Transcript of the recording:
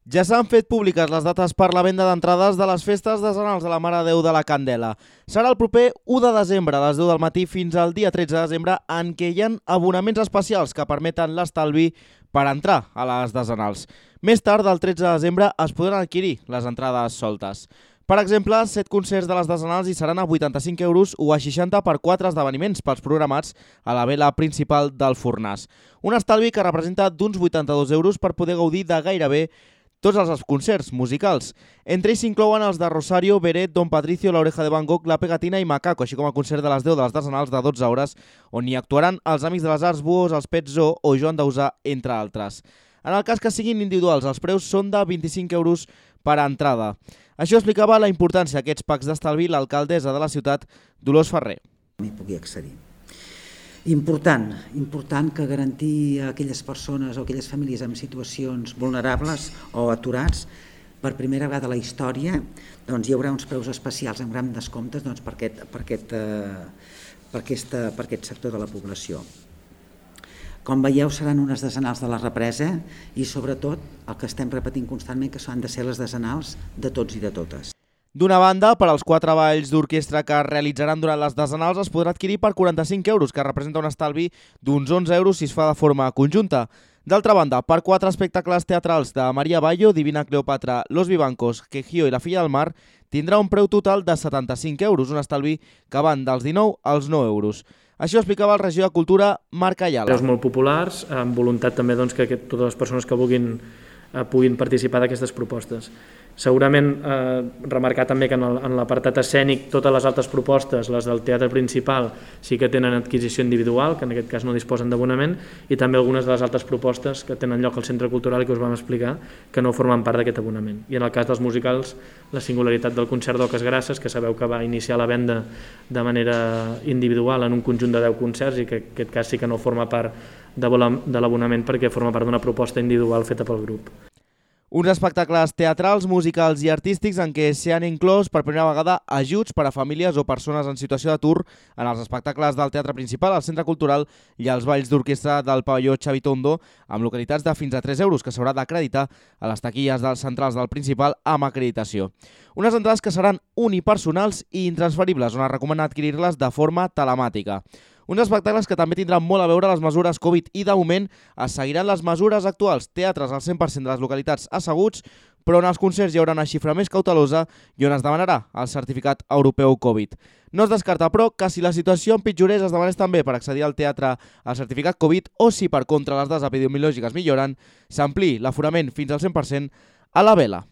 Ja s'han fet públiques les dates per la venda d'entrades de les festes decenals de la Mare de Déu de la Candela. Serà el proper 1 de desembre, a les 10 del matí, fins al dia 13 de desembre, en què hi ha abonaments especials que permeten l'estalvi per entrar a les decenals. Més tard, del 13 de desembre, es podran adquirir les entrades soltes. Per exemple, 7 concerts de les decenals hi seran a 85 euros o a 60 per 4 esdeveniments pels programats a la vela principal del Fornàs. Un estalvi que representa d'uns 82 euros per poder gaudir de gairebé tots els concerts musicals. Entre ells s'inclouen els de Rosario, Beret, Don Patricio, La Oreja de Van Gogh, La Pegatina i Macaco, així com el concert de les 10 de les decenals de 12 hores, on hi actuaran els Amics de les Arts, Buos, els Pets Zoo o Joan Dausà, entre altres. En el cas que siguin individuals, els preus són de 25 euros per entrada. Això explicava la importància d'aquests packs d'estalvi l'alcaldessa de la ciutat, Dolors Ferrer. M'hi pugui accedir. Important que garantir a aquelles persones o aquelles famílies en situacions vulnerables o aturats, per primera vegada a la història, hi haurà uns preus especials amb grans descomptes per aquest sector de la població. Com veieu, seran unes decenals de la represa i, sobretot, el que estem repetint constantment, que s'han de ser les decenals de tots i de totes. D'una banda, per als 4 balls d'orquestra que es realitzaran durant les decenals es podrà adquirir per 45 euros, que representa un estalvi d'uns 11 euros si es fa de forma conjunta. D'altra banda, per 4 espectacles teatrals de Maria Bayo, Divina Cleopatra, Los Vivancos, Quejío i La Filla del Mar, tindrà un preu total de 75 euros, un estalvi que van dels 19 als 9 euros. Això explicava el regidor de Cultura, Marc Ayala. Preus molt populars, amb voluntat també que totes les persones que vulguin puguin participar d'aquestes propostes. Segurament remarcar també que en l'apartat escènic totes les altres propostes, les del teatre principal, sí que tenen adquisició individual, que en aquest cas no disposen d'abonament, i també algunes de les altres propostes que tenen lloc al centre cultural i que us vam explicar que no formen part d'aquest abonament. I en el cas dels musicals, la singularitat del concert d'Oques Grasses, que sabeu que va iniciar la venda de manera individual en un conjunt de 10 concerts i que en aquest cas sí que no forma part de l'abonament perquè forma part d'una proposta individual feta pel grup. Uns espectacles teatrals, musicals i artístics en què s'hi han inclòs per primera vegada ajuts per a famílies o persones en situació d'atur en els espectacles del teatre principal, al centre cultural i als balls d'orquestra del pavelló Xavi Tondo, amb localitats de fins a 3 euros que s'haurà d'acreditar a les taquilles centrals del principal amb acreditació. Unes entrades que seran unipersonals i intransferibles, on es recomana adquirir-les de forma telemàtica. Uns espectacles que també tindran molt a veure les mesures Covid i, de moment, es seguiran les mesures actuals, teatres al 100% de les localitats asseguts, però en els concerts hi haurà una xifra més cautelosa i on es demanarà el certificat europeu Covid. No es descarta, però, que si la situació empitjorés es demanés també per accedir al teatre al certificat Covid o si, per contra, les dades epidemiològiques milloren, s'ampliï l'aforament fins al 100% a la vela.